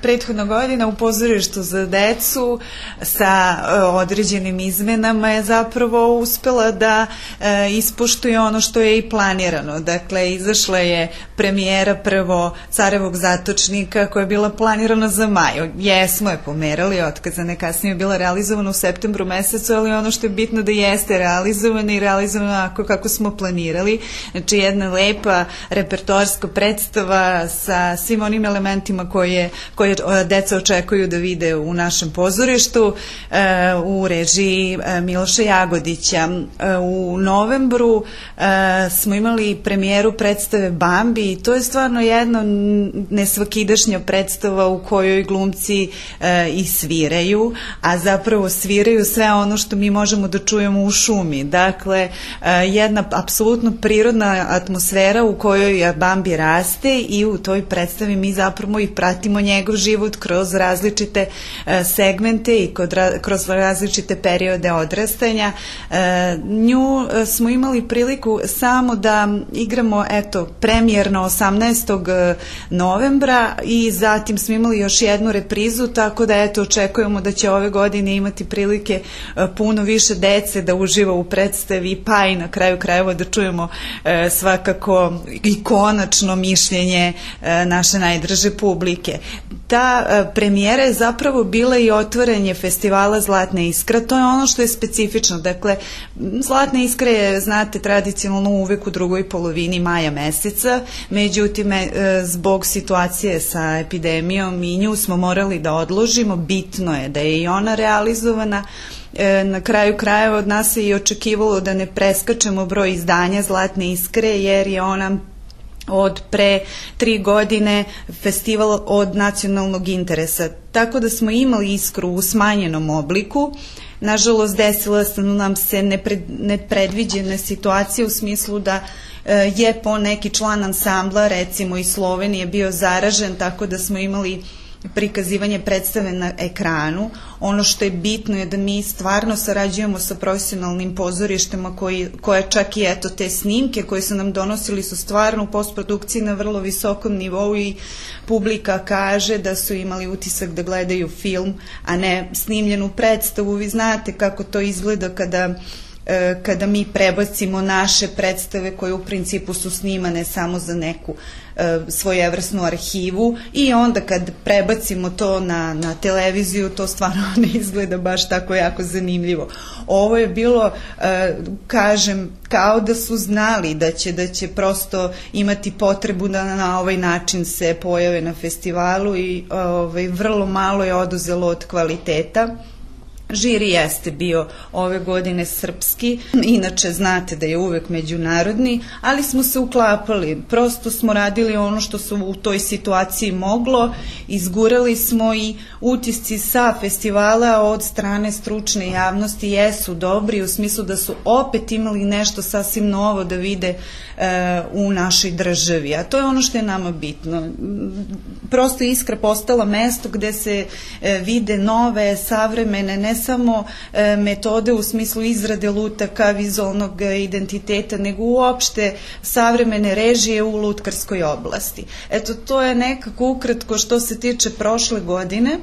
Prethodna godina u pozorištu za decu sa određenim izmenama je zapravo uspela da ispoštuje ono što je i planirano. Dakle, izašla je premijera prvo Carevog zatočnika koja je bila planirana za maj. Jesmo je pomerali, otkazana, kasnije je bila realizovana u septembru mesecu, ali ono što je bitno da jeste realizovana i realizovana kako smo planirali. Znači, jedna lepa repertoarska predstava sa svim onim elementima koje deca očekuju da vide u našem pozorištu u režiji Miloša Jagodića. U novembru smo imali premijeru predstave Bambi i to je stvarno jedna nesvakidašnja predstava u kojoj glumci i sviraju, a zapravo sviraju sve ono što mi možemo da čujemo u šumi. Dakle, jedna apsolutno prirodna atmosfera u kojoj Bambi raste i u toj predstavi mi zapravo i pratimo njegov život kroz različite segmente i kroz različite periode odrastanja. Nju smo imali priliku samo da igramo, premijerno 18. novembra i zatim smo imali još jednu reprizu, tako da očekujemo da će ove godine imati prilike puno više dece da uživa u predstavi, pa i na kraju krajeva da čujemo svakako i konačno mišljenje naše najdraže publike. Ta premijera je zapravo bila i otvaranje festivala Zlatna iskra. To je ono što je specifično. Dakle, Zlatna iskra je, znate, tradicionalno uvek u drugoj polovini maja meseca, međutim, zbog situacije sa epidemijom i nju smo morali da odložimo. Bitno je da je i ona realizovana. Na kraju krajeva od nas se i očekivalo da ne preskačemo broj izdanja Zlatne iskre, jer je ona od pre 3 godine festival od nacionalnog interesa. Tako da smo imali Iskru u smanjenom obliku. Nažalost, desila su nam se nepredviđene situacije u smislu da je po neki član ansambla, recimo iz Slovenije, bio zaražen, tako da smo imali prikazivanje predstave na ekranu. Ono što je bitno je da mi stvarno sarađujemo sa profesionalnim pozorištima koje čak i te snimke koje su nam donosili su stvarno u postprodukciji na vrlo visokom nivou i publika kaže da su imali utisak da gledaju film, a ne snimljenu predstavu. Vi znate kako to izgleda kada mi prebacimo naše predstave koje u principu su snimane samo za neku svojevrsnu arhivu i onda kad prebacimo to na televiziju, to stvarno ne izgleda baš tako jako zanimljivo. Ovo je bilo, kažem, kao da su znali da će prosto imati potrebu da na ovaj način se pojave na festivalu i vrlo malo je oduzelo od kvaliteta. Žiri jeste bio ove godine srpski, inače znate da je uvek međunarodni, ali smo se uklapali, prosto smo radili ono što su u toj situaciji moglo, izgurali smo i utisci sa festivala od strane stručne javnosti jesu dobri u smislu da su opet imali nešto sasvim novo da vide u našoj državi, a to je ono što je nama bitno. Prosto Iskra postala mesto gde se vide nove, savremene, ne samo metode u smislu izrade lutaka, vizualnog identiteta, nego uopšte savremene režije u lutkarskoj oblasti. Eto, to je nekako ukratko što se tiče prošle godine.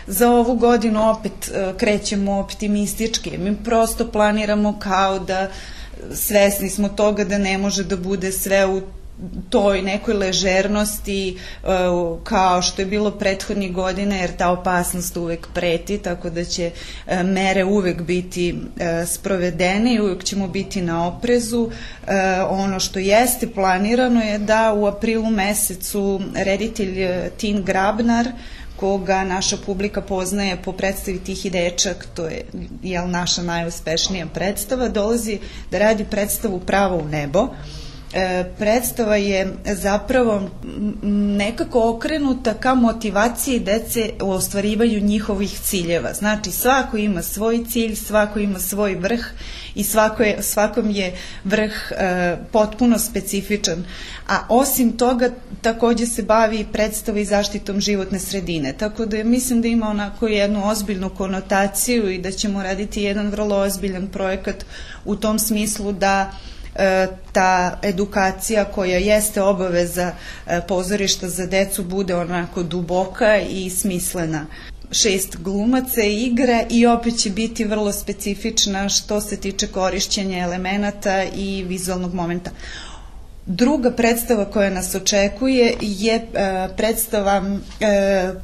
Za ovu godinu opet krećemo optimistički. Mi prosto planiramo kao da svesni smo toga da ne može da bude sve u toj nekoj ležernosti kao što je bilo prethodnih godina, jer ta opasnost uvek preti, tako da će mere uvek biti sprovedene i uvek ćemo biti na oprezu. Ono što jeste planirano je da u aprilu mesecu reditelj Tin Grabnar, koga naša publika poznaje po predstavi Tihi dečak, to je naša najuspešnija predstava, dolazi da radi predstavu Pravo u nebo. Predstava je zapravo nekako okrenuta ka motivaciji dece u ostvarivanju njihovih ciljeva. Znači, svako ima svoj cilj, svako ima svoj vrh i svakom je vrh potpuno specifičan. A osim toga, takođe se bavi predstava i zaštitom životne sredine. Tako da mislim da ima onako jednu ozbiljnu konotaciju i da ćemo raditi jedan vrlo ozbiljan projekat u tom smislu da ta edukacija koja jeste obaveza pozorišta za decu bude onako duboka i smislena. 6 glumaca igra i opet će biti vrlo specifična što se tiče korišćenja elemenata i vizualnog momenta. Druga predstava koja nas očekuje je predstava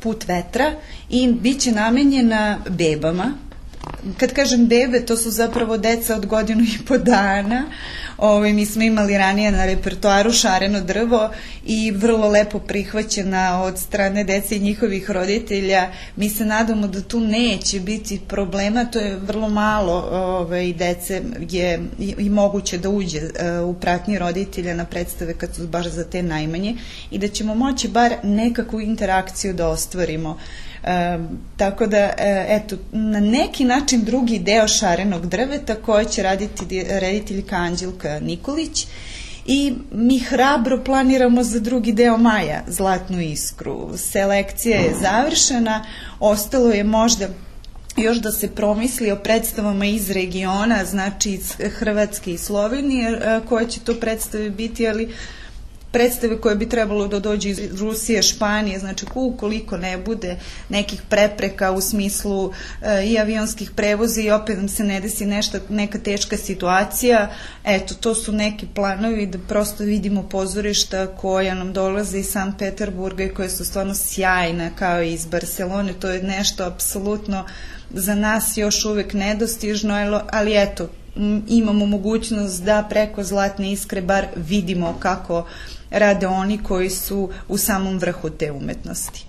Put vetra i bit će namenjena bebama. Kad kažem bebe, to su zapravo deca od 1,5 dana. Mi smo imali ranije na repertoaru Šareno drvo i vrlo lepo prihvaćena od strane dece i njihovih roditelja. Mi se nadamo da tu neće biti problema, to je vrlo malo dece je i moguće da uđe u pratnji roditelja na predstave kad su baš za te najmanje i da ćemo moći bar nekakvu interakciju da ostvarimo. Tako da, eto, na neki način drugi deo Šarenog drveta koje će raditi rediteljka Anđelka Nikolić i mi hrabro planiramo za drugi deo maja Zlatnu iskru. Selekcija je završena, ostalo je možda još da se promisli o predstavama iz regiona, znači iz Hrvatske i Slovenije koje će to predstave biti, ali predstave koje bi trebalo da dođe iz Rusije, Španije, znači ukoliko ne bude nekih prepreka u smislu i avionskih prevoza i opet nam se ne desi neka teška situacija, eto, to su neki planovi da prosto vidimo pozorišta koja nam dolaze iz Sankt Peterburga i koje su stvarno sjajna kao i iz Barcelone, to je nešto apsolutno za nas još uvek nedostižno, ali eto, imamo mogućnost da preko Zlatne iskre bar vidimo kako rade oni koji su u samom vrhu te umetnosti.